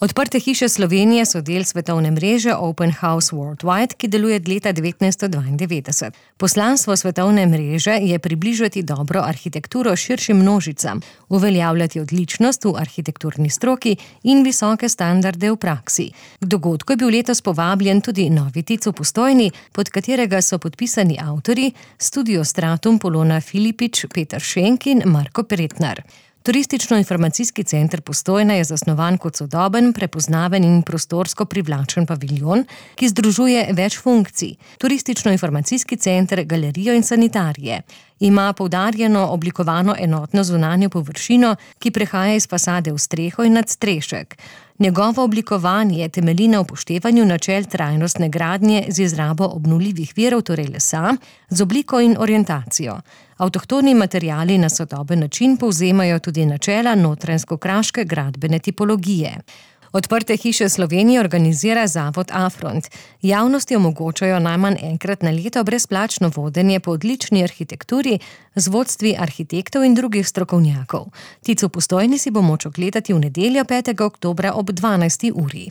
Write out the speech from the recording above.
Odprte hiše Slovenije so del svetovne mreže Open House Worldwide, ki deluje od leta 1992. Poslanstvo svetovne mreže je približati dobro arhitekturo širšim množicam, uveljavljati odličnost v arhitekturni stroki in visoke standarde v praksi. K dogodku je bil letos povabljen tudi novi tic v Postojni, pod katerega so podpisani avtorji Studio Stratum Polona Filipič, Peter Šenk in Marko Pretnar. Turistično-informacijski center Postojna je zasnovan kot sodoben, prepoznaven in prostorsko privlačen paviljon, ki združuje več funkcij. Turistično-informacijski center, galerijo in sanitarije. Ima poudarjeno oblikovano enotno zunanjo površino, ki prehaja iz fasade v streho in nadstrešek. Njegovo oblikovanje temelji na upoštevanju načel trajnostne gradnje z izrabo obnovljivih virov, torej lesa, z obliko in orientacijo. Avtohtoni materiali na sodoben način povzemajo tudi načela notranjsko-kraške gradbene tipologije. Odprte hiše Slovenije organizira zavod Afront. Javnosti omogočajo najmanj enkrat na leto brezplačno vodenje po odlični arhitekturi z vodstvi arhitektov in drugih strokovnjakov. Tic v Postojni si bo moč ogledati v nedeljo 5. oktobra ob 12. uri.